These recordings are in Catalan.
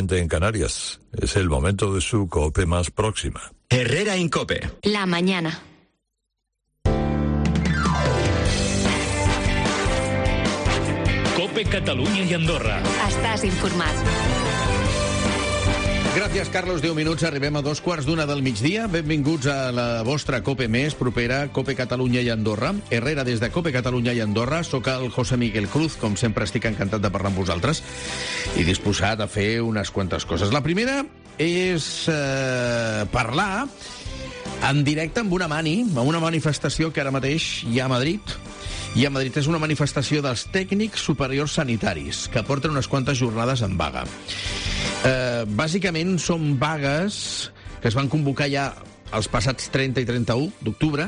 En Canarias, es el momento de su COPE más próxima. Herrera Incope. La mañana. COPE Catalunya i Andorra. Estàs informat. Gràcies, Carlos. 10 minuts, arribem a 2:15 del migdia. Benvinguts a la vostra COPE més propera, COPE Catalunya i Andorra. Herrera des de COPE Catalunya i Andorra. Soc el José Miguel Cruz, com sempre estic encantat de parlar amb vosaltres i disposat a fer unes quantes coses. La primera és parlar en directe amb una manifestació que ara mateix hi ha a Madrid. I a Madrid és una manifestació dels tècnics superiors sanitaris, que porten unes quantes jornades en vaga. Bàsicament són vagues que es van convocar ja els passats 30 i 31 d'octubre,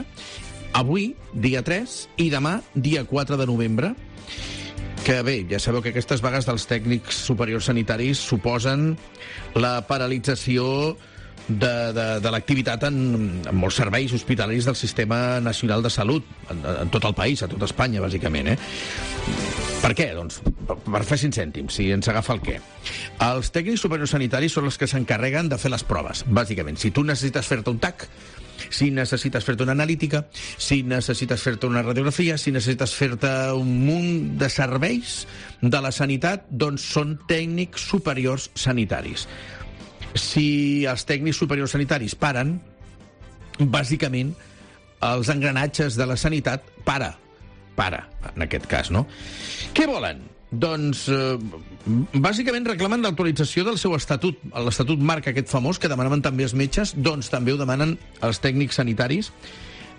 avui, dia 3, i demà, dia 4 de novembre, que bé, ja sabeu que aquestes vagues dels tècnics superiors sanitaris suposen la paralització de l'activitat en molts serveis hospitalaris del Sistema Nacional de Salut, en tot el país, a tot Espanya, bàsicament. Per què? Doncs per fer 5 cèntims, si ens agafa el què. Els tècnics superiors sanitaris són els que s'encarreguen de fer les proves, bàsicament. Si tu necessites fer-te un TAC, si necessites fer-te una analítica, si necessites fer-te una radiografia, si necessites fer-te un munt de serveis de la sanitat, doncs són tècnics superiors sanitaris. Si els tècnics superiors sanitaris paren, bàsicament els engranatges de la sanitat para, en aquest cas, no? Què volen? Doncs, bàsicament reclamen l'actualització del seu estatut. L'Estatut Marc, aquest famós, que demanaven també els metges, doncs també ho demanen els tècnics sanitaris,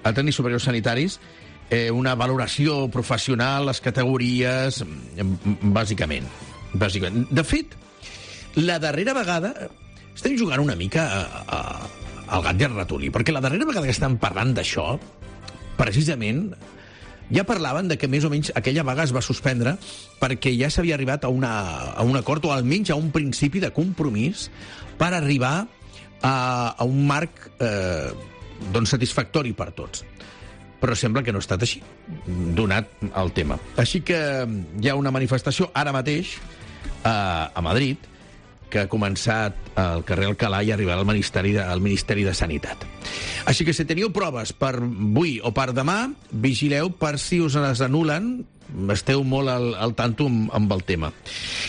els tècnics superiors sanitaris, una valoració professional, les categories, bàsicament. De fet, la darrera vegada estem jugant una mica al gat i al ratolí, perquè la darrera vegada que estem parlant d'això, precisament, ja parlaven de que més o menys aquella vaga es va suspendre perquè ja s'havia arribat a un acord, o almenys a un principi de compromís per arribar a un marc satisfactori per tots. Però sembla que no ha estat així, donat el tema. Així que hi ha una manifestació ara mateix a Madrid que ha començat al carrer Alcalá i arribarà al Ministeri de Sanitat. Així que si teniu proves per avui o per demà, vigileu per si us les anulen, esteu molt al tanto amb el tema.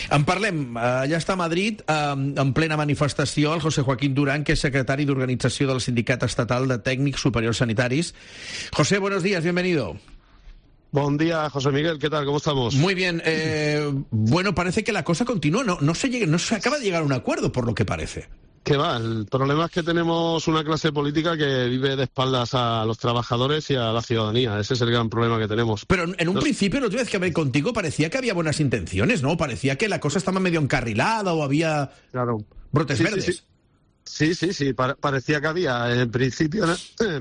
En parlem, allà està a Madrid, en plena manifestació, el José Joaquín Durán, que és secretari d'Organització del Sindicat Estatal de Tècnics Superiors Sanitaris. José, buenos días, bienvenido. Buen día, José Miguel, ¿qué tal? ¿Cómo estamos? Muy bien. Bueno, parece que la cosa continúa. No se acaba de llegar a un acuerdo, por lo que parece. ¿Qué va? El problema es que tenemos una clase política que vive de espaldas a los trabajadores y a la ciudadanía. Ese es el gran problema que tenemos. Pero en un principio, la última vez que hablé contigo, parecía que había buenas intenciones, ¿no? Parecía que la cosa estaba medio encarrilada o había brotes verdes. Sí, parecía que había. En principio,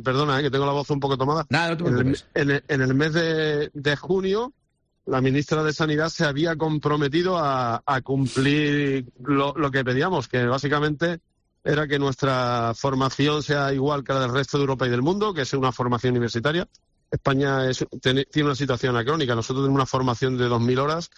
perdona, que tengo la voz un poco tomada. Nada, no te preocupes. En el mes de junio, la ministra de Sanidad se había comprometido a cumplir lo que pedíamos, que básicamente era que nuestra formación sea igual que la del resto de Europa y del mundo, que sea una formación universitaria. España tiene una situación anacrónica. Nosotros tenemos una formación de 2.000 horas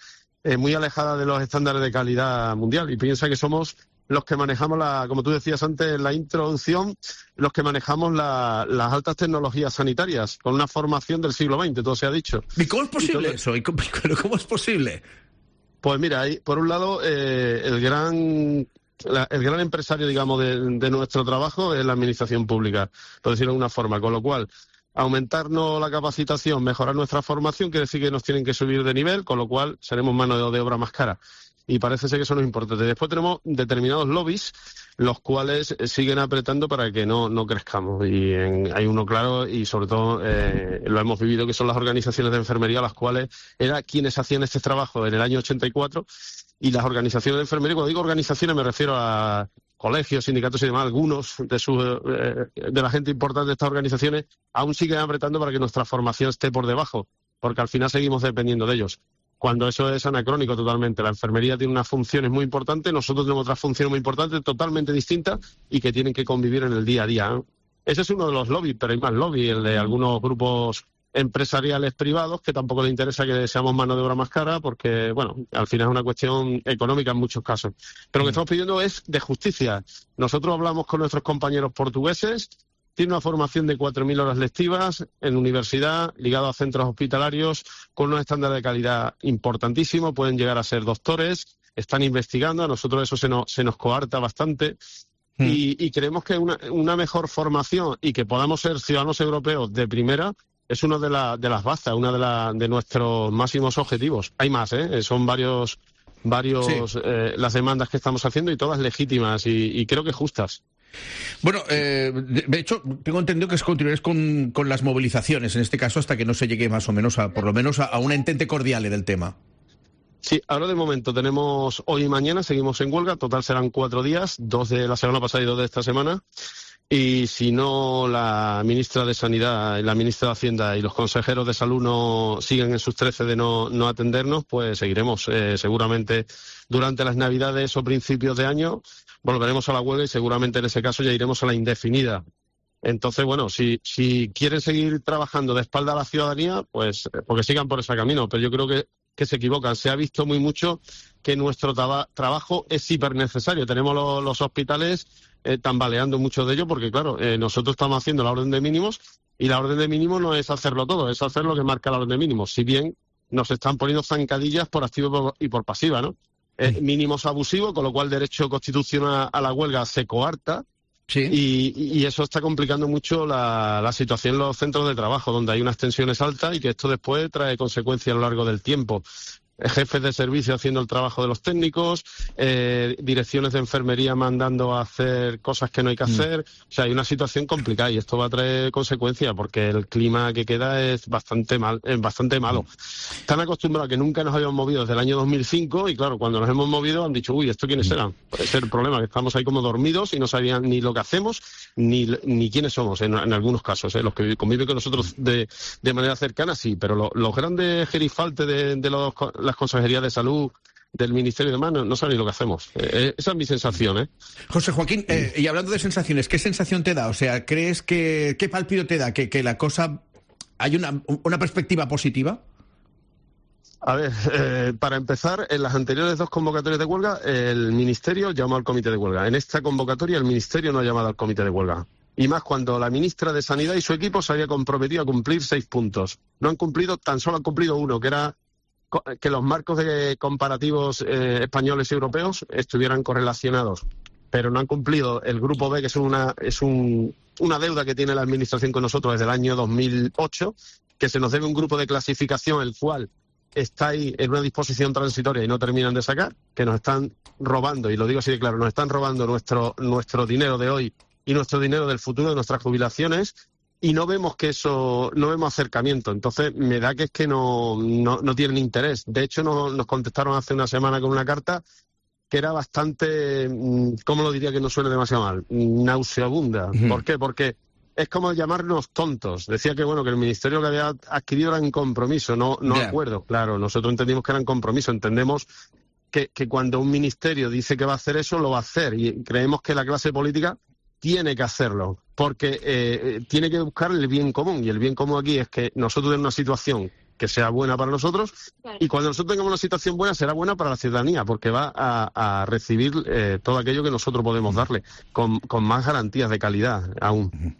muy alejada de los estándares de calidad mundial. Y piensa que somos los que manejamos, como tú decías antes en la introducción, los que manejamos las altas tecnologías sanitarias, con una formación del siglo XX, todo se ha dicho. ¿Y cómo es posible eso? ¿Cómo es posible? Pues mira, por un lado, el gran empresario, digamos, de nuestro trabajo es la administración pública, por decirlo de alguna forma, con lo cual aumentarnos la capacitación, mejorar nuestra formación, quiere decir que nos tienen que subir de nivel, con lo cual seremos mano de obra más cara. Y parece ser que eso no es importante. Después tenemos determinados lobbies, los cuales siguen apretando para que no crezcamos. Y hay uno claro, y sobre todo lo hemos vivido, que son las organizaciones de enfermería, las cuales eran quienes hacían este trabajo en el año 84, y las organizaciones de enfermería, cuando digo organizaciones me refiero a colegios, sindicatos y demás, algunos de la gente importante de estas organizaciones aún siguen apretando para que nuestra formación esté por debajo, porque al final seguimos dependiendo de ellos. Cuando eso es anacrónico totalmente. La enfermería tiene unas funciones muy importantes, nosotros tenemos otras funciones muy importantes, totalmente distintas, y que tienen que convivir en el día a día, ¿eh? Ese es uno de los lobbies, pero hay más lobbies, el de algunos grupos empresariales privados que tampoco les interesa que seamos mano de obra más cara porque, bueno, al final es una cuestión económica en muchos casos. Pero lo que estamos pidiendo es de justicia. Nosotros hablamos con nuestros compañeros portugueses, tienen una formación de 4.000 horas lectivas en universidad, ligado a centros hospitalarios, con unos estándares de calidad importantísimos, pueden llegar a ser doctores, están investigando, a nosotros eso se nos coarta bastante. Y creemos que una mejor formación y que podamos ser ciudadanos europeos de primera es una de las bazas, de nuestros máximos objetivos. Hay más, son varios sí. Las demandas que estamos haciendo y todas legítimas y creo que justas. Bueno, de hecho, tengo entendido que continuaréis con las movilizaciones, en este caso, hasta que no se llegue más o menos por lo menos a un entente cordial del tema. Sí, ahora de momento tenemos hoy y mañana, seguimos en huelga, total serán 4 días, 2 de la semana pasada y 2 de esta semana. Y si no, la ministra de Sanidad, la ministra de Hacienda y los consejeros de Salud no siguen en sus 13 de no atendernos, pues seguiremos. Seguramente durante las Navidades o principios de año volveremos a la huelga y seguramente en ese caso ya iremos a la indefinida. Entonces, bueno, si quieren seguir trabajando de espalda a la ciudadanía, pues porque sigan por ese camino. Pero yo creo que se equivocan. Se ha visto muy mucho que nuestro trabajo es hiper necesario. Tenemos los hospitales tambaleando mucho de ello porque, claro, nosotros estamos haciendo la orden de mínimos y la orden de mínimos no es hacerlo todo, es hacer lo que marca la orden de mínimos. Si bien nos están poniendo zancadillas por activa y por pasiva, ¿no? Mínimos abusivos, con lo cual el derecho constitucional a la huelga se coarta. Sí. Y eso está complicando mucho la situación en los centros de trabajo, donde hay unas tensiones altas y que esto después trae consecuencias a lo largo del tiempo. Jefes de servicio haciendo el trabajo de los técnicos, direcciones de enfermería mandando a hacer cosas que no hay que hacer. O sea, hay una situación complicada y esto va a traer consecuencias porque el clima que queda es bastante malo. Están acostumbrados a que nunca nos habíamos movido desde el año 2005 y claro, cuando nos hemos movido han dicho, uy, ¿esto quiénes eran? Puede ser el problema, que estamos ahí como dormidos y no sabían ni lo que hacemos ni quiénes somos en algunos casos. Los que conviven con nosotros de manera cercana sí, pero los grandes gerifaltes de las consejerías de salud, del Ministerio de Manos, no saben ni lo que hacemos. Esa es mi sensación, ¿eh? José Joaquín, y hablando de sensaciones, ¿qué sensación te da? O sea, ¿crees qué pálpito te da? ¿Que la cosa... hay una perspectiva positiva? A ver, para empezar, en las anteriores 2 convocatorias de huelga, el Ministerio llamó al comité de huelga. En esta convocatoria, el Ministerio no ha llamado al comité de huelga. Y más cuando la ministra de Sanidad y su equipo se había comprometido a cumplir 6 puntos. No han cumplido, tan solo han cumplido 1, que era que los marcos de comparativos españoles y europeos estuvieran correlacionados, pero no han cumplido el grupo B, que es una deuda que tiene la Administración con nosotros desde el año 2008, que se nos debe un grupo de clasificación, el cual está ahí en una disposición transitoria y no terminan de sacar, que nos están robando, y lo digo así de claro, nos están robando nuestro dinero de hoy y nuestro dinero del futuro de nuestras jubilaciones. Y no vemos no vemos acercamiento. Entonces me da que es que no tienen interés. De hecho, nos contestaron hace una semana con una carta que era bastante, ¿cómo lo diría que no suene demasiado mal? Nauseabunda. ¿Por qué? Porque es como llamarnos tontos. Decía que bueno, que el ministerio que había adquirido era en compromiso, no acuerdo. Claro, nosotros entendimos que era en compromiso. Entendemos que cuando un ministerio dice que va a hacer eso, lo va a hacer. Y creemos que la clase política tiene que hacerlo, porque tiene que buscar el bien común, y el bien común aquí es que nosotros tenemos una situación que sea buena para nosotros, y cuando nosotros tengamos una situación buena, será buena para la ciudadanía, porque va a recibir todo aquello que nosotros podemos darle, con más garantías de calidad aún.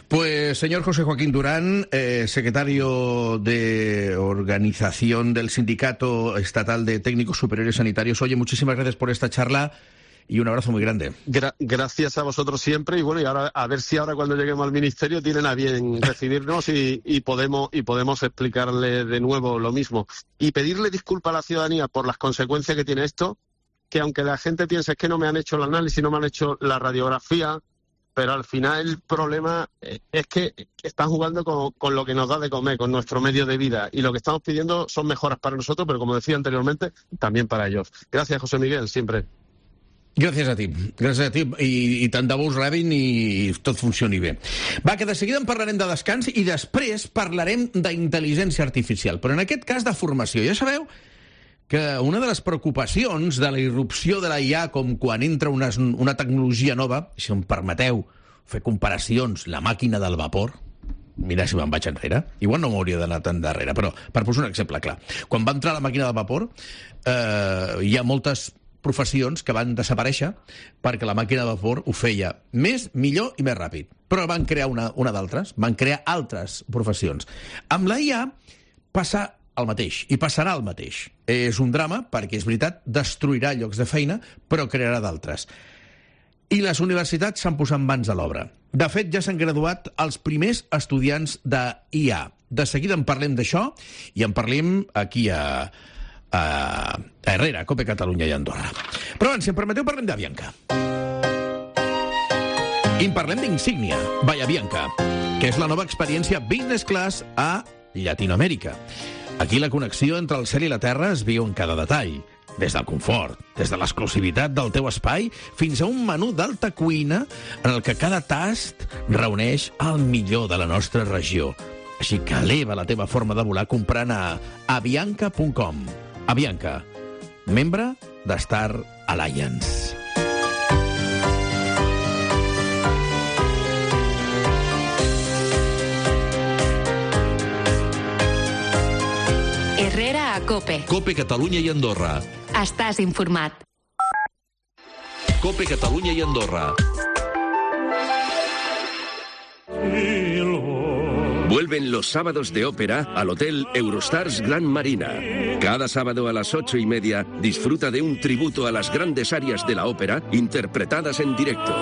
Pues, señor José Joaquín Durán, secretario de Organización del Sindicato Estatal de Técnicos Superiores Sanitarios, oye, muchísimas gracias por esta charla. Y un abrazo muy grande. Gracias a vosotros siempre, y bueno, y ahora a ver si ahora cuando lleguemos al ministerio tienen a bien recibirnos y podemos explicarle de nuevo lo mismo. Y pedirle disculpas a la ciudadanía por las consecuencias que tiene esto, que aunque la gente piense que no me han hecho el análisis, no me han hecho la radiografía, pero al final el problema es que están jugando con lo que nos da de comer, con nuestro medio de vida, y lo que estamos pidiendo son mejoras para nosotros, pero como decía anteriormente, también para ellos. Gracias, José Miguel, siempre. Gràcies a ti i tant de bo us rebin i tot funcioni bé. Va, que de seguida en parlarem de descans i després parlarem d'intel·ligència artificial, però en aquest cas de formació. Ja sabeu que una de les preocupacions de la irrupció de la IA, com quan entra una tecnologia nova, si em permeteu fer comparacions, la màquina del vapor, mira si me'n vaig enrere, igual no m'hauria d'anar tan darrere, però per posar un exemple clar, quan va entrar la màquina de vapor hi ha moltes professions que van desaparèixer perquè la màquina de vapor ho feia més, millor i més ràpid. Però van crear una d'altres, van crear altres professions. Amb la IA passa el mateix, i passarà el mateix. És un drama perquè, és veritat, destruirà llocs de feina, però crearà d'altres. I les universitats s'han posat mans a l'obra. De fet, ja s'han graduat els primers estudiants de IA. De seguida en parlem d'això, i en parlem aquí a Herrera, a COPE Catalunya i Andorra. Però abans, si em permeteu, parlem d'Avianca. I en parlem d'Insignia, Bahia Bianca, que és la nova experiència business class a Llatinoamèrica. Aquí la connexió entre el cel i la terra es viu en cada detall. Des del confort, des de l'exclusivitat del teu espai, fins a un menú d'alta cuina en el que cada tast reuneix el millor de la nostra regió. Així que eleva la teva forma de volar comprant a avianca.com. Avianca, membre de Star Alliance. Herrera a COPE. COPE Catalunya i Andorra. Estàs informat. COPE Catalunya i Andorra. Vuelven los sábados de ópera al Hotel Eurostars Gran Marina. Cada sábado a las 8:30 disfruta de un tributo a las grandes áreas de la ópera interpretadas en directo.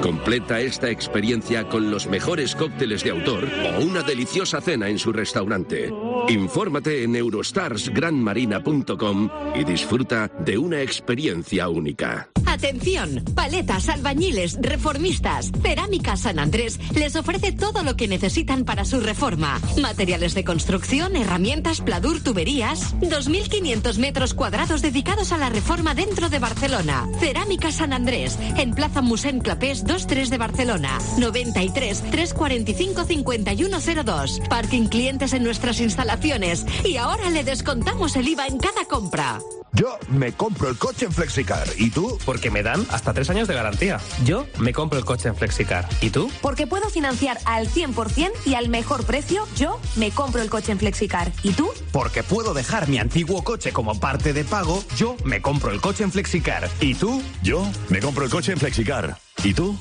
Completa esta experiencia con los mejores cócteles de autor o una deliciosa cena en su restaurante. Infórmate en eurostarsgranmarina.com y disfruta de una experiencia única. Atención, paletas, albañiles, reformistas. Cerámica San Andrés les ofrece todo lo que necesitan para su reforma. Materiales de construcción, herramientas, pladur, tuberías. 2.500 metros cuadrados dedicados a la reforma dentro de Barcelona. Cerámica San Andrés, en Plaza Mossèn Clapés 23 de Barcelona. 93 345 5102. Parking clientes en nuestras instalaciones. Y ahora le descontamos el IVA en cada compra. Yo me compro el coche en Flexicar. ¿Y tú? Porque me dan hasta 3 años de garantía. Yo me compro el coche en Flexicar. ¿Y tú? Porque puedo financiar al 100% y al mejor precio. Yo me compro el coche en Flexicar. ¿Y tú? Porque puedo dejar mi antiguo coche como parte de pago. Yo me compro el coche en Flexicar. ¿Y tú? Yo me compro el coche en Flexicar. ¿Y tú?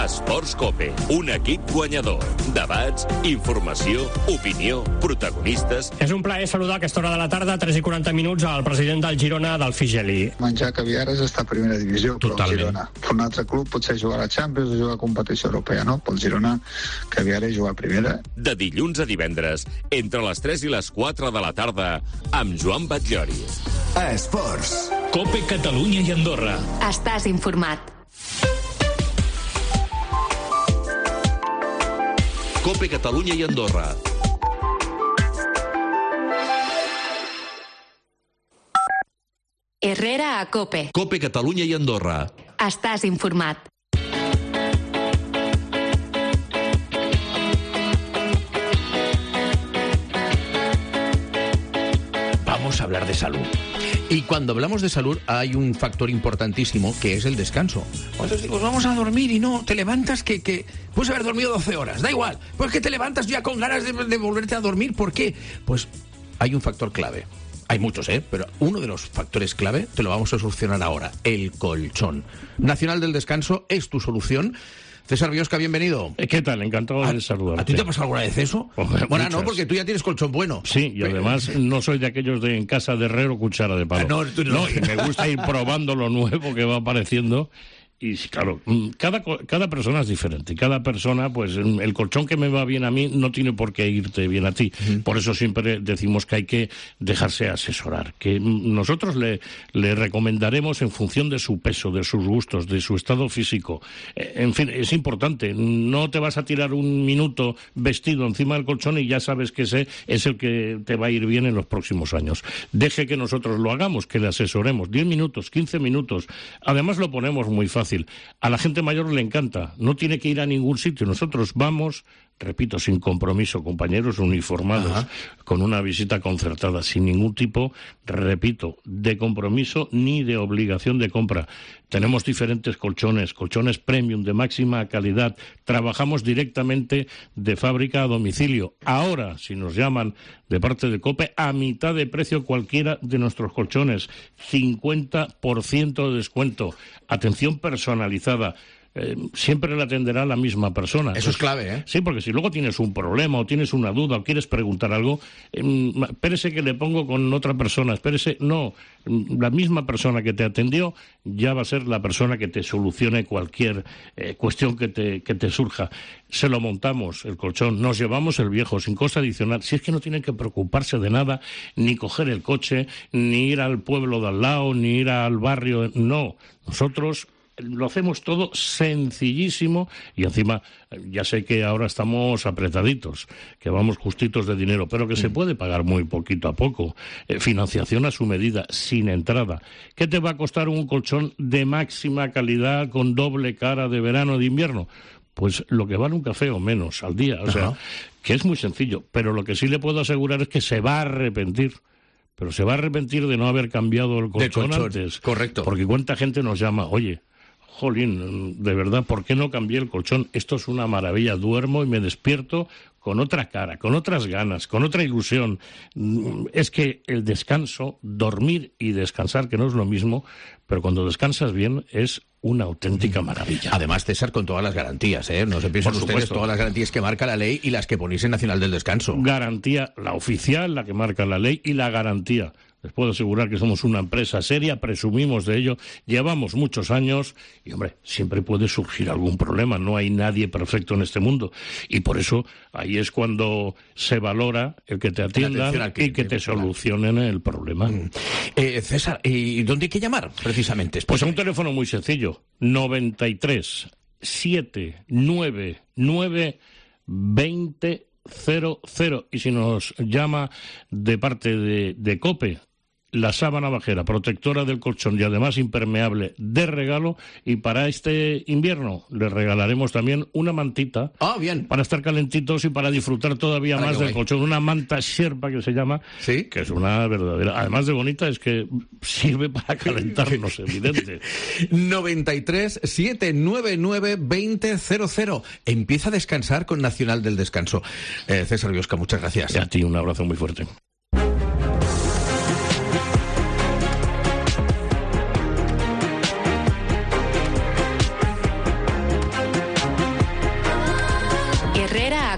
Esports COPE, un equip guanyador. Debats, informació, opinió, protagonistes... És un plaer saludar a aquesta hora de la tarda, 3:40, al president del Girona, del Figeli. Menjar caviar és estar a primera divisió, però el Girona. Un altre club potser jugar a la Champions o jugar a competició europea, no? Pel Girona, caviar és jugar a primera. De dilluns a divendres, entre les 3 i les 4 de la tarda, amb Joan Batllori. Esports. COPE Catalunya i Andorra. Estàs informat. COPE Catalunya i Andorra. Herrera a COPE. COPE Catalunya i Andorra. Estàs informat. Vamos a hablar de salud. Y cuando hablamos de salud hay un factor importantísimo que es el descanso. Cuando digo, vamos a dormir y no, te levantas que puedes haber dormido 12 horas, da igual, pues que te levantas ya con ganas de volverte a dormir. ¿Por qué? Pues hay un factor clave. Hay muchos, pero uno de los factores clave te lo vamos a solucionar ahora, el colchón. Nacional del Descanso es tu solución. César Biosca, bienvenido. ¿Qué tal? Encantado de saludarte. ¿A ti te ha pasado alguna vez eso? Bueno, no, porque tú ya tienes colchón bueno. Sí, y además no soy de aquellos de en casa de herrero cuchara de palo. No, tú no. No, y me gusta ir probando lo nuevo que va apareciendo. Y claro, cada persona es diferente. Cada persona, pues el colchón que me va bien a mí no tiene por qué irte bien a ti. Por eso siempre decimos que hay que dejarse asesorar. Que nosotros le recomendaremos en función de su peso, de sus gustos, de su estado físico. En fin, es importante. No te vas a tirar un minuto vestido encima del colchón y ya sabes que ese es el que te va a ir bien en los próximos años. Deje que nosotros lo hagamos, que le asesoremos. 10 minutos, 15 minutos. Además lo ponemos muy fácil. A la gente mayor le encanta, no tiene que ir a ningún sitio. Nosotros vamos, repito, sin compromiso, compañeros uniformados, con una visita concertada, sin ningún tipo, repito, de compromiso ni de obligación de compra. Tenemos diferentes colchones premium de máxima calidad. Trabajamos directamente de fábrica a domicilio. Ahora, si nos llaman de parte de COPE, a mitad de precio cualquiera de nuestros colchones. 50% de descuento. Atención personalizada. Siempre le atenderá la misma persona. Eso es clave, ¿eh? Sí, porque si luego tienes un problema o tienes una duda o quieres preguntar algo, espérese que le pongo con otra persona, espérese, no, la misma persona que te atendió ya va a ser la persona que te solucione cualquier cuestión que te surja. Se lo montamos, el colchón, nos llevamos el viejo sin coste adicional. Si es que no tienen que preocuparse de nada, ni coger el coche, ni ir al pueblo de al lado, ni ir al barrio, no. Nosotros lo hacemos todo sencillísimo y encima ya sé que ahora estamos apretaditos, que vamos justitos de dinero, pero que se puede pagar muy poquito a poco. Financiación a su medida, sin entrada. ¿Qué te va a costar un colchón de máxima calidad con doble cara de verano o de invierno? Pues lo que vale un café o menos al día. O sea, que es muy sencillo, pero lo que sí le puedo asegurar es que se va a arrepentir. Pero se va a arrepentir de no haber cambiado el colchón antes. Correcto. Porque cuánta gente nos llama, oye, jolín, de verdad, ¿por qué no cambié el colchón? Esto es una maravilla, duermo y me despierto con otra cara, con otras ganas, con otra ilusión. Es que el descanso, dormir y descansar, que no es lo mismo, pero cuando descansas bien es una auténtica maravilla. Además, César, con todas las garantías, ¿eh? No se piensan ustedes todas las garantías que marca la ley y las que ponéis en Nacional del Descanso. Garantía, la oficial, la que marca la ley y la garantía. Les puedo asegurar que somos una empresa seria, presumimos de ello, llevamos muchos años y, hombre, siempre puede surgir algún problema, no hay nadie perfecto en este mundo. Y por eso ahí es cuando se valora el que te atiendan y que te solucionen el problema. César, ¿y dónde hay que llamar precisamente? Pues a un teléfono muy sencillo, 93 799 20 00. Y si nos llama de parte de COPE, la sábana bajera, protectora del colchón y además impermeable de regalo, y para este invierno le regalaremos también una mantita para estar calentitos y para disfrutar todavía más del colchón, una manta Sherpa que se llama, que es una verdadera, además de bonita, es que sirve para calentarnos, evidente. 93 799 20 00. Empieza a descansar con Nacional del Descanso. César Biosca, muchas gracias. Y a ti un abrazo muy fuerte.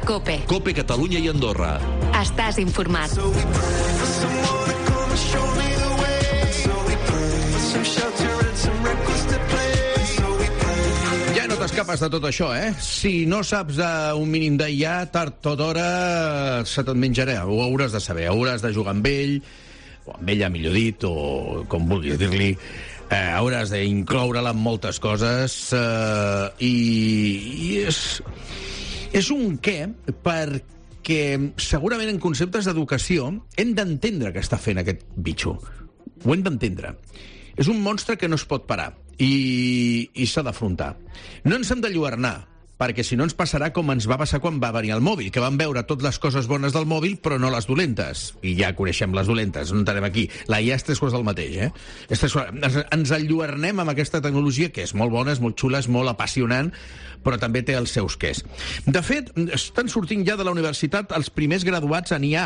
COPE. COPE Catalunya i Andorra. Estàs informat. Ja no t'escapes de tot això, eh? Si no saps un mínim de ja, tard o d'hora se te'n menjarà. Ho hauràs de saber, hauràs de jugar amb ell, o amb ella, millor dit, o com vulguis dir-li. Hauràs d'incloure-la en moltes coses i és un què perquè segurament en conceptes d'educació hem d'entendre què està fent aquest bitxo. Ho hem d'entendre. És un monstre que no es pot parar i s'ha d'afrontar. No ens hem de lluernar, perquè si no ens passarà com ens va passar quan va venir el mòbil, que vam veure totes les coses bones del mòbil però no les dolentes. I ja coneixem les dolentes, no entrarem aquí. La IA és tres coses del mateix, Ens enlluernem amb aquesta tecnologia, que és molt bona, és molt xula, és molt apassionant, però també té els seus quès. De fet, estan sortint ja de la universitat els primers graduats en IA.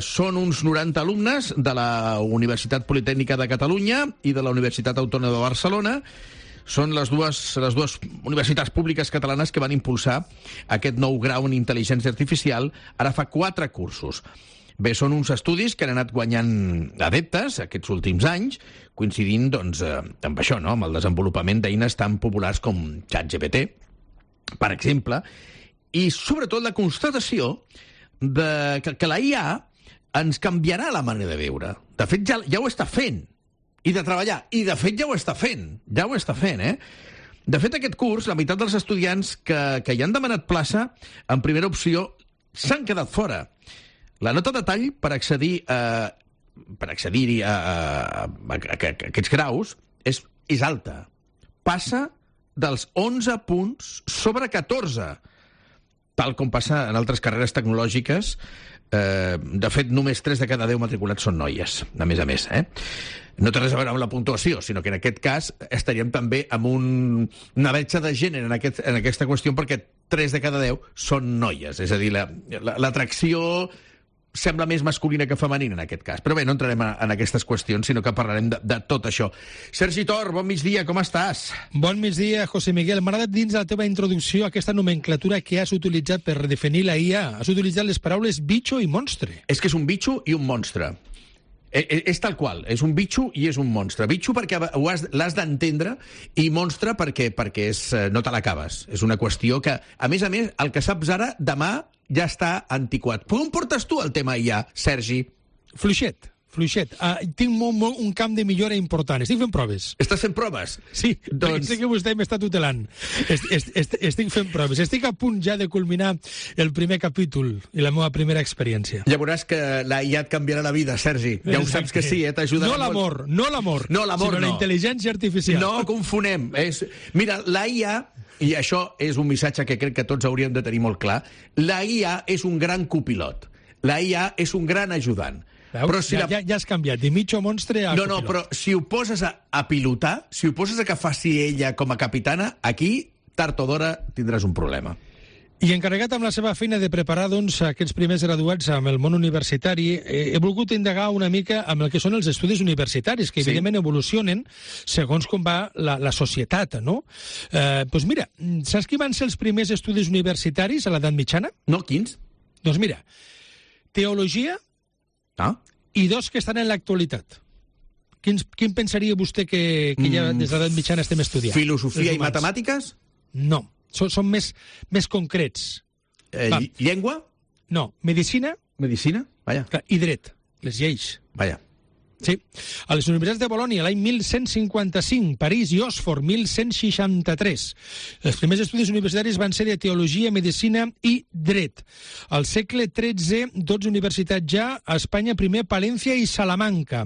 Són uns 90 alumnes de la Universitat Politècnica de Catalunya i de la Universitat Autònoma de Barcelona. Són les dues universitats públiques catalanes que van impulsar aquest nou grau en intel·ligència artificial ara fa 4 cursos. Bé, són uns estudis que han anat guanyant adeptes aquests últims anys, coincidint doncs, amb això, no? Amb el desenvolupament d'eines tan populars com ChatGPT, per exemple, i sobretot la constatació que la IA ens canviarà la manera de viure. De fet, ja ho està fent. I de treballar. I, de fet, ja ho està fent. Ja ho està fent, De fet, aquest curs, la meitat dels estudiants que hi han demanat plaça en primera opció s'han quedat fora. La nota de tall per accedir a aquests graus és alta. Passa dels 11 punts sobre 14. tal com passa en altres carreres tecnològiques. De fet, només 3 de cada 10 matriculats són noies, a més, No té res a veure amb la puntuació, sinó que en aquest cas estaríem també amb una bretxa de gènere en aquesta qüestió, perquè 3 de cada 10 són noies. És a dir, l'atracció sembla més masculina que femenina en aquest cas. Però bé, no entrarem en aquestes qüestions, sinó que parlarem de tot això. Sergi Tor, bon migdia, com estàs? Bon migdia, José Miguel. M'ha agradat dins de la teva introducció aquesta nomenclatura que has utilitzat per definir la IA. Has utilitzat les paraules bitxo i monstre. És que és un bitxo i un monstre. És tal qual, és un bitxo i és un monstre. Bitxo perquè l'has d'entendre i monstre perquè no te l'acabes. És una qüestió que, a més, el que saps ara, demà ja està antiquat. Per on portes tu el tema IA, Sergi? Fluixet. Tinc un camp de millora important. Estic fent proves. Estàs fent proves? Sí, perquè sé que vostè m'està tutelant. Estic fent proves. Estic a punt ja de culminar el primer capítol i la meva primera experiència. Ja veuràs que la IA et canviarà la vida, Sergi. Ja ho saps que sí, t'ajudarà molt. No l'amor, sinó la intel·ligència artificial. No confonem. Mira, la IA, i això és un missatge que crec que tots hauríem de tenir molt clar, la IA és un gran copilot. La IA és un gran ajudant. Però si ja has canviat, de mitjo monstre a copilot. No, però si ho poses a pilotar, si ho poses a que faci ella com a capitana, aquí, tard o d'hora, tindràs un problema. I encarregat amb la seva feina de preparar aquests primers graduats amb el món universitari, he volgut indagar una mica amb el que són els estudis universitaris, que evidentment evolucionen segons com va la societat, no? Doncs mira, saps qui van ser els primers estudis universitaris a l'edat mitjana? No, quins? Doncs mira, teologia i 2 que estan en l'actualitat. Quin pensaria vostè que ja des de l'edat mitjana estem estudiant? Filosofia i matemàtiques? No, són més concrets. Llengua? No, medicina. Medicina? Vaja. I dret, les lleis. Vaja. Sí. A les universitats de Bolònia, l'any 1155, París i Oxford, 1163. Els primers estudis universitaris van ser de teologia, medicina i dret. Al segle XIII, 12 universitats ja, a Espanya primer Palència i Salamanca.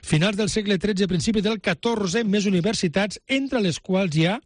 Finals del segle XIII, principi del XIV, més universitats, entre les quals hi ha,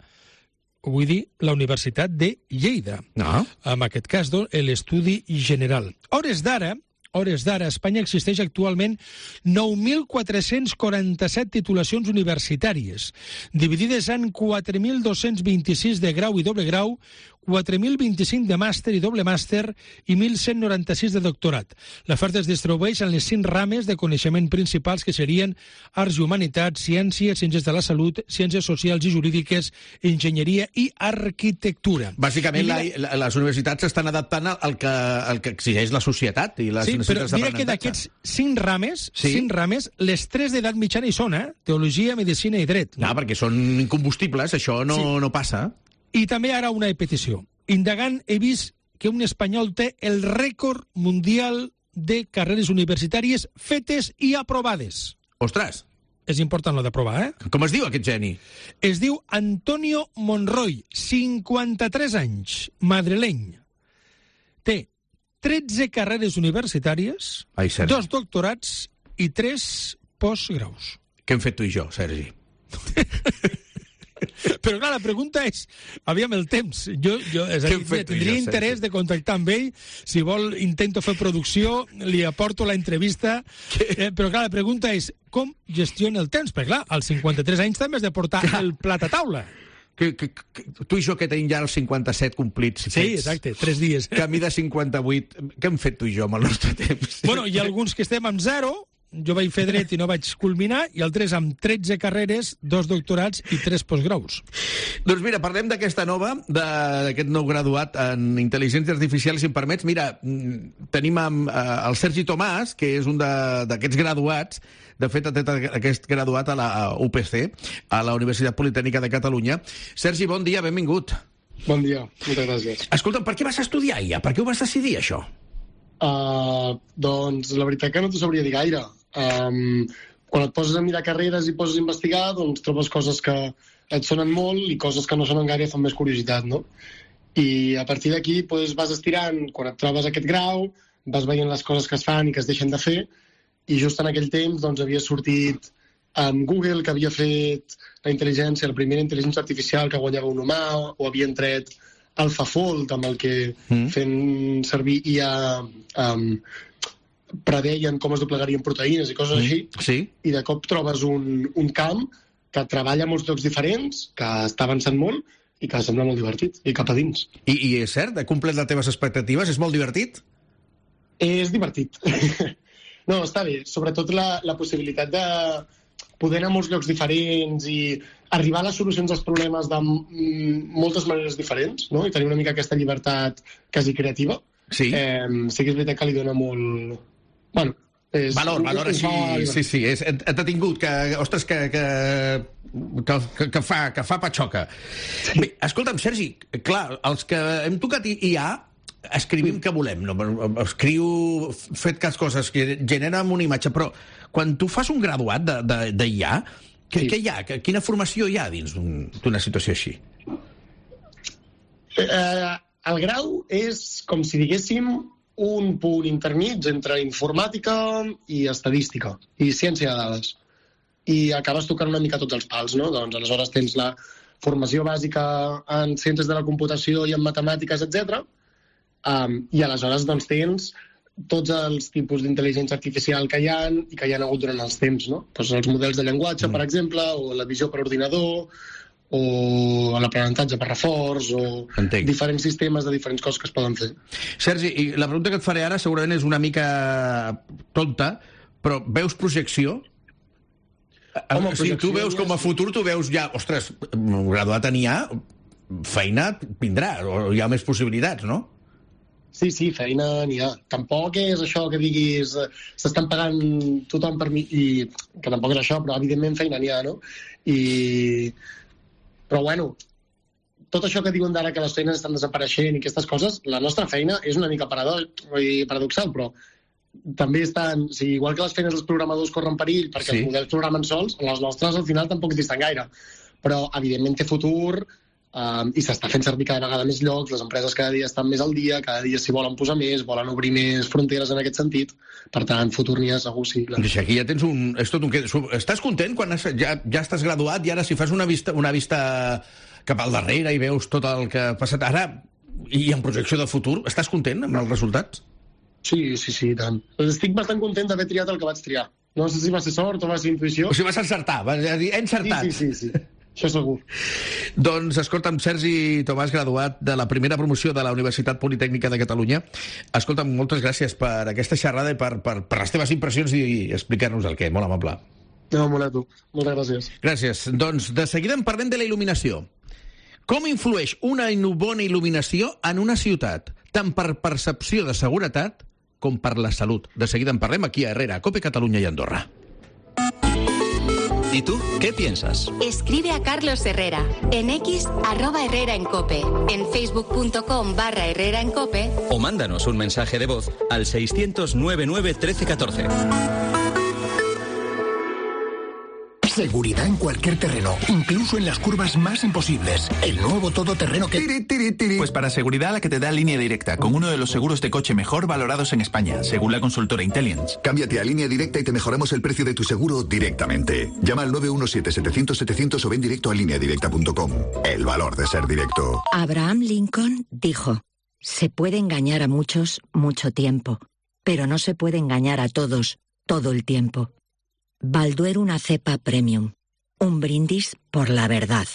vull dir, la Universitat de Lleida. En aquest cas, l'estudi general. A hores d'ara, a Espanya existeix actualment 9.447 titulacions universitàries, dividides en 4.226 de grau i doble grau, 4.025 de màster i doble màster i 1.196 de doctorat. L'oferta es distribueix en les 5 rames de coneixement principals que serien arts i humanitats, ciències, ciències de la salut, ciències socials i jurídiques, enginyeria i arquitectura. Bàsicament, les universitats s'estan adaptant al que exigeix la societat i les necessitats d'aprenentatge. Però mira que d'aquests 5 rames, les 3 d'edat mitjana hi són, teologia, medicina i dret. Perquè són incombustibles, això no passa. I també ara una petició. Indagant, he vist que un espanyol té el rècord mundial de carreres universitàries fetes i aprovades. Ostres! És important lo d'aprovar, Com es diu aquest geni? Es diu Antonio Monroy, 53 anys, madrileny. Té 13 carreres universitàries, 2 doctorats i 3 postgraus. Què hem fet tu i jo, Sergi? Però clar, la pregunta és, aviam el temps, jo tindria interès de contactar amb ell, si vol intento fer producció, li aporto la entrevista, però clar, la pregunta és, com gestiona el temps? Perquè clar, als 53 anys també has de portar el plat a taula. Tu i jo que tenim ja els 57 complits. Sí, exacte, 3 dies. Camí de 58. Què hem fet tu i jo amb el nostre temps? Bueno, hi ha alguns que estem amb 0, jo vaig fer dret i no vaig culminar, i altres amb 13 carreres, 2 doctorats i 3 postgraus. Doncs mira, parlem d'aquesta nova, d'aquest nou graduat en intel·ligència artificial, si em permets. Mira, tenim el Sergi Tomàs, que és un d'aquests graduats. De fet, ha tret aquest graduat a la UPC, a la Universitat Politècnica de Catalunya. Sergi, bon dia, benvingut. Bon dia, moltes gràcies. Escolta'm, per què vas estudiar IA? Per què ho vas decidir, això? Doncs la veritat que no t'ho sabria dir gaire. Quan et poses a mirar carreres i poses a investigar, doncs trobes coses que et sonen molt i coses que no sonen gaire i fan més curiositat, no? I a partir d'aquí vas estirant, quan et trobes aquest grau, vas veient les coses que es fan i que es deixen de fer, i just en aquell temps doncs, havia sortit amb Google, que havia fet la primera intel·ligència artificial que guanyava un humà, o havien tret AlphaFold, amb el que fent servir IA preveien com es doblegarien proteïnes i coses així, i de cop trobes un camp que treballa a molts llocs diferents, que està avançant molt i que sembla molt divertit, i cap a dins. I és cert? Ha complert les teves expectatives? És molt divertit? És divertit. No, està bé. Sobretot la possibilitat de poder anar a molts llocs diferents i arribar a les solucions als problemes de moltes maneres diferents, no? I tenir una mica aquesta llibertat quasi creativa. Sí que és veritat que li dona molt... Bueno, valor així, sí. T'ha tingut que, ostres, que fa patxoca. Bé, escolta'm, Sergi, clar, els que hem tocat IA escrivim que volem, no? Escriu, fet cas coses que generen una imatge, però quan tu fas un graduat d'IA, què hi ha? Quina formació hi ha dins d'una situació així? El grau és, com si diguéssim, un punt intermig entre informàtica i estadística i ciència de dades. I acabes tocant una mica tots els pals, no? Doncs aleshores tens la formació bàsica en ciències de la computació i en matemàtiques, etc. I aleshores doncs tens tots els tipus d'intel·ligència artificial que hi ha i que hi ha hagut durant els temps, no? Doncs els models de llenguatge, per exemple, o la visió per ordinador, o l'aprenentatge per reforç, o diferents sistemes de diferents coses que es poden fer. Sergi, i la pregunta que et faré ara segurament és una mica tonta, però veus projecció? Home, si tu veus com a futur, tu veus ja, ostres, graduat en IA, feina vindrà, o hi ha més possibilitats, no? Sí, feina n'hi ha. Tampoc és això que diguis s'estan pagant tothom per mi, i que tampoc és això, però evidentment feina n'hi ha, no? Però bueno, tot això que diuen d'ara que les feines estan desapareixent i aquestes coses, la nostra feina és una mica paradoxal, però també estan... O sigui, igual que les feines dels programadors corren perill perquè els models programen sols, les nostres al final tampoc disten gaire. Però, evidentment, té futur i s'està fent servir cada vegada més llocs, les empreses cada dia estan més al dia, cada dia s'hi volen posar més, volen obrir més fronteres en aquest sentit. Per tant, futur n'hi ha segur, sí. Clar. Aquí ja tens un... Estàs content quan ja estàs graduat i ara si fas una vista cap al darrere i veus tot el que ha passat ara i en projecció de futur, estàs content amb els resultats? Sí, tant. Estic bastant content d'haver triat el que vaig triar. No sé si va ser sort o va ser intuïció. O sigui, vas encertar, he encertat. Sí. Això segur. Doncs, escolta'm, Sergi Tomàs, graduat de la primera promoció de la Universitat Politècnica de Catalunya. Escolta'm, moltes gràcies per aquesta xerrada i per les teves impressions i explicar-nos el què. Molt amable. No, molt a tu. Moltes gràcies. Gràcies. Doncs, de seguida en parlem de la il·luminació. Com influeix una bona il·luminació en una ciutat, tant per percepció de seguretat com per la salut? De seguida en parlem aquí a Herrera, COPE Catalunya i Andorra. ¿Y tú qué piensas? Escribe a Carlos Herrera en X @Herrera en Cope, en facebook.com/Herrera en Cope o mándanos un mensaje de voz al 600 99 13 14. Seguridad en cualquier terreno, incluso en las curvas más imposibles. El nuevo todoterreno que... Pues para seguridad la que te da Línea Directa, con uno de los seguros de coche mejor valorados en España, según la consultora Intelliance. Cámbiate a Línea Directa y te mejoramos el precio de tu seguro directamente. Llama al 917-700-700 o ven directo a lineadirecta.com. El valor de ser directo. Abraham Lincoln dijo: se puede engañar a muchos mucho tiempo, pero no se puede engañar a todos todo el tiempo. Balduero, una cepa premium. Un brindis por la verdad.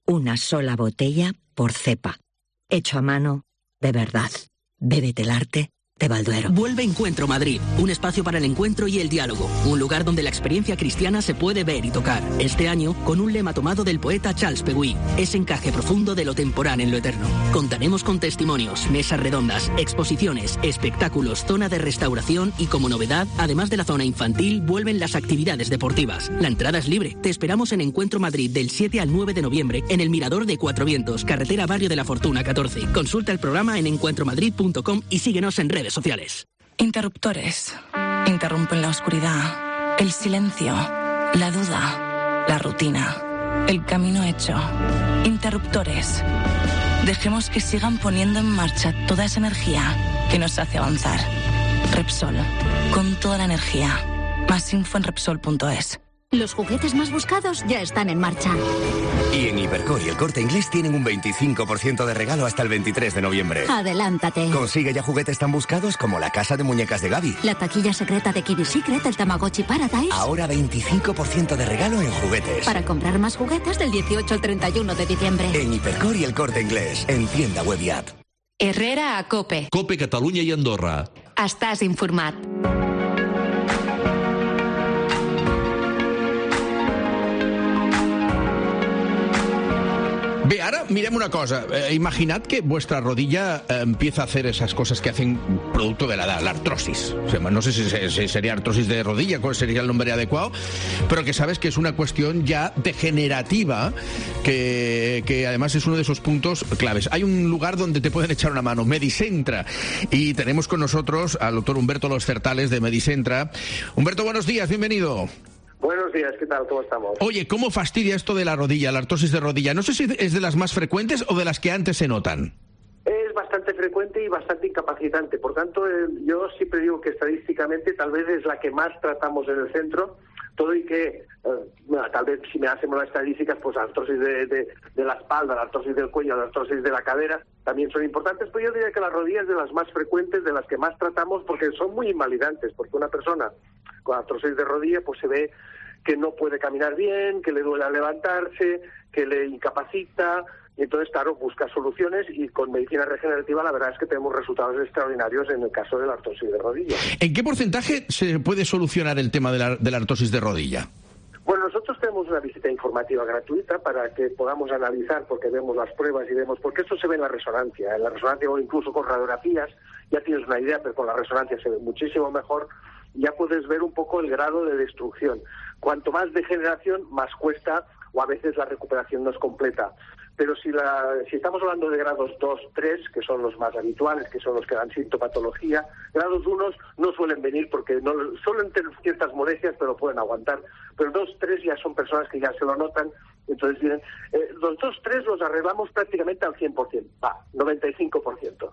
Una sola botella por cepa. Hecho a mano, de verdad. Bébete el arte de Balduero. Vuelve Encuentro Madrid, un espacio para el encuentro y el diálogo, un lugar donde la experiencia cristiana se puede ver y tocar. Este año, con un lema tomado del poeta Charles Peguy, ese encaje profundo de lo temporal en lo eterno. Contaremos con testimonios, mesas redondas, exposiciones, espectáculos, zona de restauración y, como novedad, además de la zona infantil, vuelven las actividades deportivas. La entrada es libre. Te esperamos en Encuentro Madrid del 7 al 9 de noviembre en el Mirador de Cuatro Vientos, carretera Barrio de la Fortuna 14. Consulta el programa en encuentromadrid.com y síguenos en redes sociales. Interruptores. Interrumpen la oscuridad, el silencio, la duda, la rutina, el camino hecho. Interruptores. Dejemos que sigan poniendo en marcha toda esa energía que nos hace avanzar. Repsol. Con toda la energía. Más info en Repsol.es. Los juguetes más buscados ya están en marcha. Y en Hipercor y El Corte Inglés tienen un 25% de regalo hasta el 23 de noviembre. Adelántate. Consigue ya juguetes tan buscados como la casa de muñecas de Gaby. La taquilla secreta de Kibi Secret, el Tamagotchi Paradise. Ahora 25% de regalo en juguetes. Para comprar más juguetes del 18 al 31 de diciembre. En Hipercor y El Corte Inglés. En tienda web y app. Herrera a COPE. COPE Catalunya i Andorra. Estàs informat. Bé, ara mirem una cosa. Imaginad que vuestra rodilla empieza a hacer esas cosas que hacen producto de la edad, la artrosis. O sea, no sé si sería artrosis de rodilla, cuál sería el nombre adecuado, pero que sabes que es una cuestión ya degenerativa, que además es uno de esos puntos claves. Hay un lugar donde te pueden echar una mano, Medicentra, y tenemos con nosotros al doctor Humberto Los Certales de Medicentra. Humberto, buenos días, bienvenido. Buenos días, ¿qué tal? ¿Cómo estamos? Oye, ¿cómo fastidia esto de la rodilla, la artrosis de rodilla? No sé si es de las más frecuentes o de las que antes se notan. Es bastante frecuente y bastante incapacitante. Por tanto, yo siempre digo que estadísticamente tal vez es la que más tratamos en el centro. Todo y que, tal vez si me hacemos las estadísticas, pues la artrosis de la espalda, la artrosis del cuello, la artrosis de la cadera también son importantes, pero yo diría que las rodillas es de las más frecuentes, de las que más tratamos, porque son muy invalidantes, porque una persona con artrosis de rodilla pues se ve que no puede caminar bien, que le duele al levantarse, que le incapacita, y entonces, claro, busca soluciones, y con medicina regenerativa la verdad es que tenemos resultados extraordinarios en el caso de la artrosis de rodilla. ¿En qué porcentaje se puede solucionar el tema de la artrosis de rodilla? Bueno, nosotros tenemos una visita informativa gratuita para que podamos analizar, porque vemos las pruebas y vemos, porque esto se ve en la resonancia o incluso con radiografías, ya tienes una idea, pero con la resonancia se ve muchísimo mejor, ya puedes ver un poco el grado de destrucción. Cuanto más degeneración, más cuesta, o a veces la recuperación no es completa. Pero si estamos hablando de grados 2, 3, que son los más habituales, que son los que dan sintomatología, grados 1 no suelen venir porque no suelen tener ciertas molestias, pero pueden aguantar. Pero 2, 3 ya son personas que ya se lo notan, entonces vienen. Los 2, 3 los arreglamos prácticamente al 100%, 95%.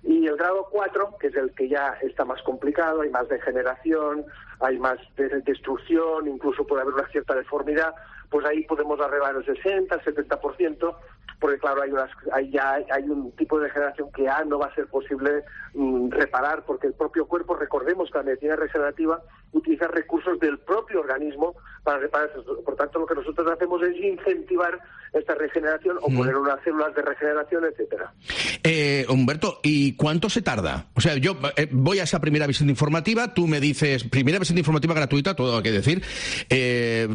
Y el grado 4, que es el que ya está más complicado, hay más degeneración, hay más destrucción, incluso puede haber una cierta deformidad, pues ahí podemos arreglar el 60, el 70%, porque claro, hay un tipo de degeneración que ya no va a ser posible reparar, porque el propio cuerpo, recordemos que la medicina regenerativa utiliza recursos del propio organismo para reparar eso. Por tanto, lo que nosotros hacemos es incentivar esta regeneración o poner unas células de regeneración, etcétera. Humberto, ¿y cuánto se tarda? O sea, yo voy a esa primera visita informativa, tú me dices, primera visita informativa gratuita, todo hay que decir,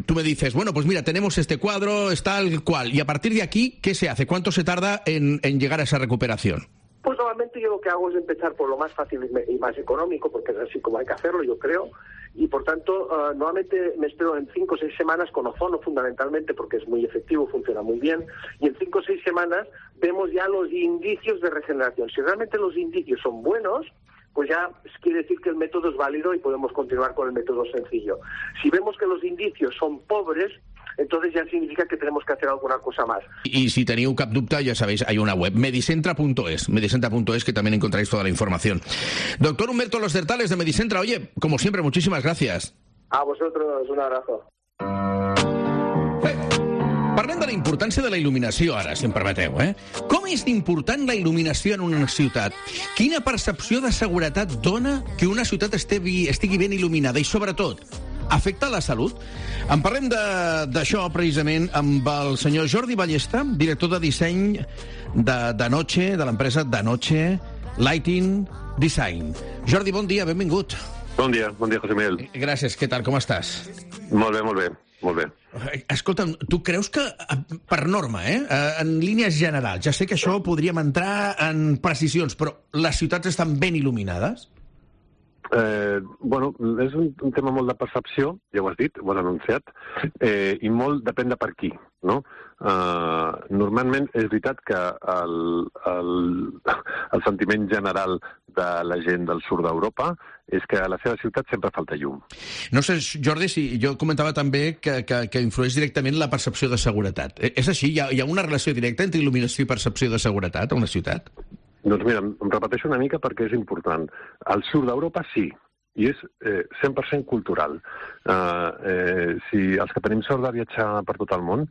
tú me dices, bueno, pues mira, tenemos este cuadro, es tal cual, y a partir de aquí, ¿qué se hace? ¿Cuánto se tarda en llegar a esa recuperación? Pues normalmente yo lo que hago es empezar por lo más fácil y más económico, porque es así como hay que hacerlo, yo creo, y por tanto normalmente me espero en 5 o 6 semanas con ozono fundamentalmente, porque es muy efectivo, funciona muy bien, y en 5 o 6 semanas vemos ya los indicios de regeneración. Si realmente los indicios son buenos, pues ya quiere decir que el método es válido y podemos continuar con el método sencillo. Si vemos que los indicios son pobres, entonces ya significa que tenemos que hacer alguna cosa más. Y si teniu cap dubte, ya sabéis, hay una web, medicentra.es, que también encontráis toda la información. Doctor Humberto Los Certales de Medicentra, oye, como siempre, muchísimas gracias. A vosotros, un abrazo. Parlem de la importància de la il·luminació, ara, si em permeteu, Com és d'important la il·luminació en una ciutat? Quina percepció de seguretat dona que una ciutat estigui ben il·luminada? I, sobretot, afecta la salut? En parlem d'això, precisament, amb el senyor Jordi Ballesta, director de disseny de Noche, de l'empresa de Noche Lighting Design. Jordi, bon dia, benvingut. Bon dia, José Miguel. Gràcies, què tal, com estàs? Molt bé. Escolta'm, tu creus que, per norma, en línies generals, ja sé que això podríem entrar en precisions, però les ciutats estan ben il·luminades? Bueno, és un tema molt de percepció, ja ho has dit, ho has anunciat, i molt depèn de per qui, no? Normalment és veritat que el sentiment general de la gent del sud d'Europa és que a la seva ciutat sempre falta llum. No sé, Jordi, si jo comentava també que influeix directament la percepció de seguretat. És així? Hi ha una relació directa entre il·luminació i percepció de seguretat a una ciutat? Doncs mira, em repeteixo una mica perquè és important. Al sud d'Europa sí, i és 100% cultural. Si els que tenim sort de viatjar per tot el món,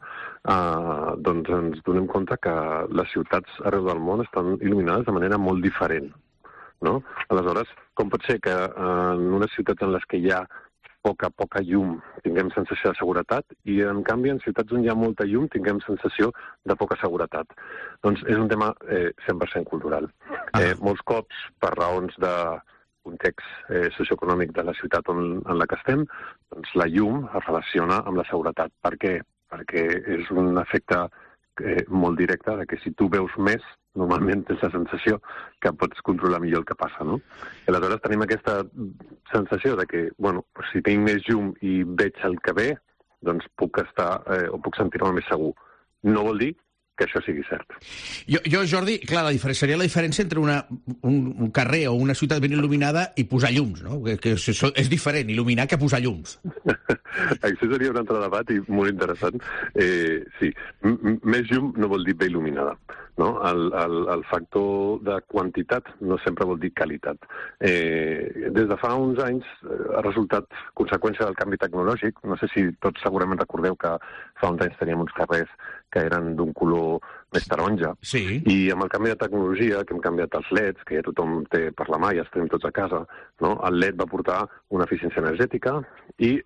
doncs ens donem compte que les ciutats arreu del món estan il·luminades de manera molt diferent, no? Aleshores, com pot ser que en unes ciutats en les que hi ha poca llum tinguem sensació de seguretat i, en canvi, en ciutats on hi ha molta llum tinguem sensació de poca seguretat? Doncs és un tema 100% cultural. Molts cops, per raons de context socioeconòmic de la ciutat en la que estem, doncs la llum es relaciona amb la seguretat. Per què? Perquè és un efecte molt directe de que si tu veus més, normalment tens la sensació que pots controlar millor el que passa, no? I aleshores tenim aquesta sensació de que, bueno, si tinc més llum i veig el que ve, doncs puc estar o puc sentir-me més segur. No vol dir que això sigui cert. Jo, Jordi, clar, seria la diferència entre un carrer o una ciutat ben il·luminada i posar llums, no? Que és diferent, il·luminar, que posar llums. Això seria un altre debat i molt interessant. Sí, més llum no vol dir bé il·luminada, no? El factor de quantitat no sempre vol dir qualitat. Des de fa uns anys ha resultat conseqüència del canvi tecnològic. No sé si tots segurament recordeu que fa uns anys teníem uns carrers que eren d'un color més taronja. Sí. I amb el canvi de tecnologia, que hem canviat els LEDs, que ja tothom té per la mà, ja els tenim tots a casa, no? El LED va portar una eficiència energètica i,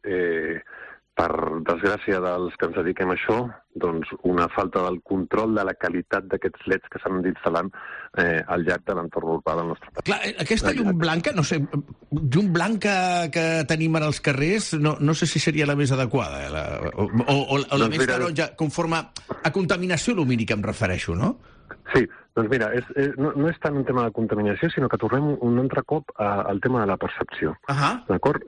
per desgràcia dels que ens dediquem a això, doncs una falta del control de la qualitat d'aquests LEDs que s'han instal·lant al llarg de l'entorn urbà del nostre país. Clar, aquesta llum blanca, no sé, llum blanca que tenim ara als carrers, no sé si seria la més adequada, o la més taronja, conforme a contaminació lumínica em refereixo, no? Sí, doncs mira, no és tant un tema de contaminació, sinó que tornem un altre cop al tema de la percepció. D'acord?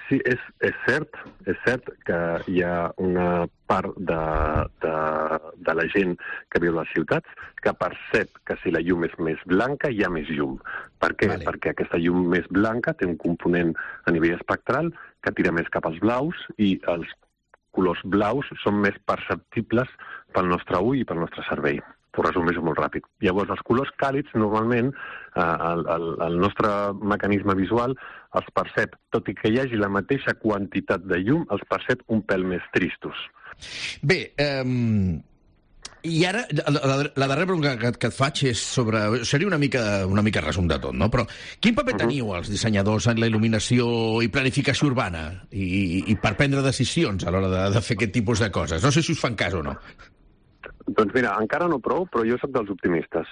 Sí, és cert que hi ha una part de la gent que viu a les ciutats que percep que si la llum és més blanca hi ha més llum. Per què? Vale. Perquè aquesta llum més blanca té un component a nivell espectral que tira més cap als blaus i els colors blaus són més perceptibles pel nostre ull i pel nostre cervell. T'ho resumeixo molt ràpid. Llavors, els colors càlids, normalment, el nostre mecanisme visual els percep, tot i que hi hagi la mateixa quantitat de llum, els percep un pèl més tristos. Bé, i ara, la darrera pregunta que et faig és sobre... Seria una mica resum de tot, no? Però quin paper teniu els dissenyadors en la il·luminació i planificació urbana i per prendre decisions a l'hora de fer aquest tipus de coses? No sé si us fan cas o no. Doncs mira, encara no prou, però jo sóc dels optimistes.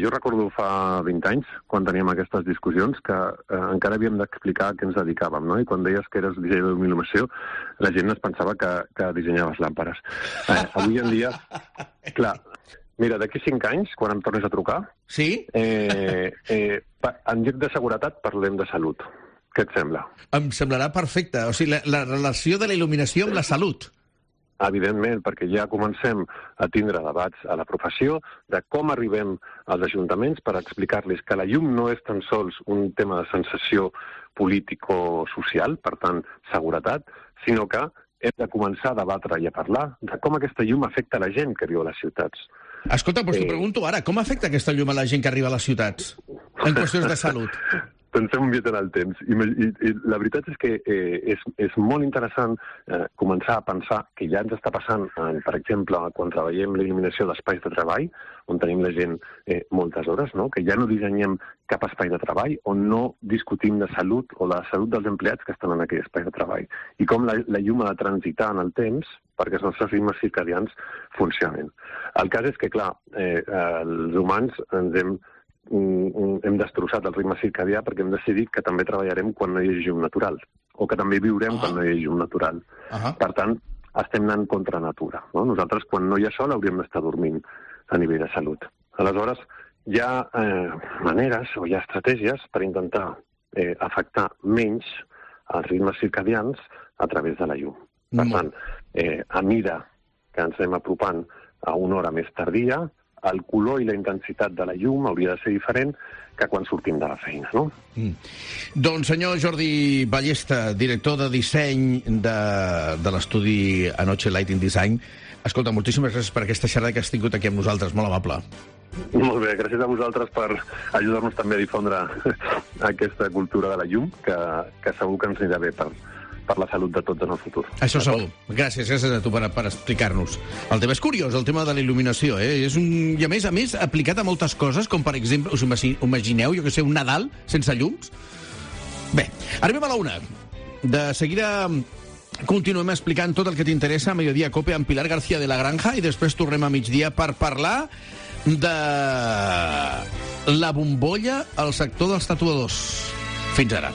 Jo recordo fa 20 anys, quan teníem aquestes discussions, que encara havíem d'explicar a què ens dedicàvem, no? I quan deies que eres dissenyador d'il·luminació, la gent es pensava que dissenyaves làmperes. Avui en dia, clar, mira, d'aquí 5 anys, quan em tornis a trucar, sí? En lloc de seguretat parlem de salut. Què et sembla? Em semblarà perfecte. O sigui, la relació de la il·luminació amb la salut. Evidentment, perquè ja comencem a tindre debats a la professió de com arribem als ajuntaments per explicar-los que la llum no és tan sols un tema de sensació político-social, per tant, seguretat, sinó que hem de començar a debatre i a parlar de com aquesta llum afecta la gent que viu a les ciutats. Escolta, doncs t'ho pregunto ara, com afecta aquesta llum a la gent que arriba a les ciutats en qüestions de salut? Pensem un mica en el temps. I la veritat és que és molt interessant començar a pensar que ja ens està passant, per exemple, quan treballem la il·luminació d'espais de treball, on tenim la gent moltes hores, no? Que ja no dissenyem cap espai de treball on no discutim de salut o de la salut dels empleats que estan en aquell espai de treball. I com la llum ha de transitar en el temps perquè els nostres ritmes circadians funcionin. El cas és que, clar, els humans hem destrossat el ritme circadià perquè hem decidit que també treballarem quan no hi hagi llum natural, o que també viurem quan no hi hagi llum natural. Per tant, estem anant contra natura, no? Nosaltres, quan no hi ha sol, hauríem d'estar dormint a nivell de salut. Aleshores, hi ha maneres o hi ha estratègies per intentar afectar menys els ritmes circadians a través de la llum. Per tant, a mida que ens anem apropant a una hora més tardia, el color i la intensitat de la llum hauria de ser diferent que quan sortim de la feina, no? Doncs, senyor Jordi Ballesta, director de disseny de l'estudi Anoche Lighting Design, escolta, moltíssimes gràcies per aquesta xerrada que has tingut aquí amb nosaltres, molt amable. Molt bé, gràcies a vosaltres per ajudar-nos també a difondre aquesta cultura de la llum, que segur que ens anirà bé per la salut de tots en el futur. Això segur. Gràcies a tu per explicar-nos. El tema és curiós, el tema de la il·luminació, És i a més, aplicat a moltes coses, com per exemple, us imagineu, jo que sé, un Nadal sense llums? Bé, arribem a la 1. De seguida continuem explicant tot el que t'interessa a Mediodía Cope amb Pilar García de la Granja i després tornem a migdia per parlar de la bombolla al sector dels tatuadors. Fins ara.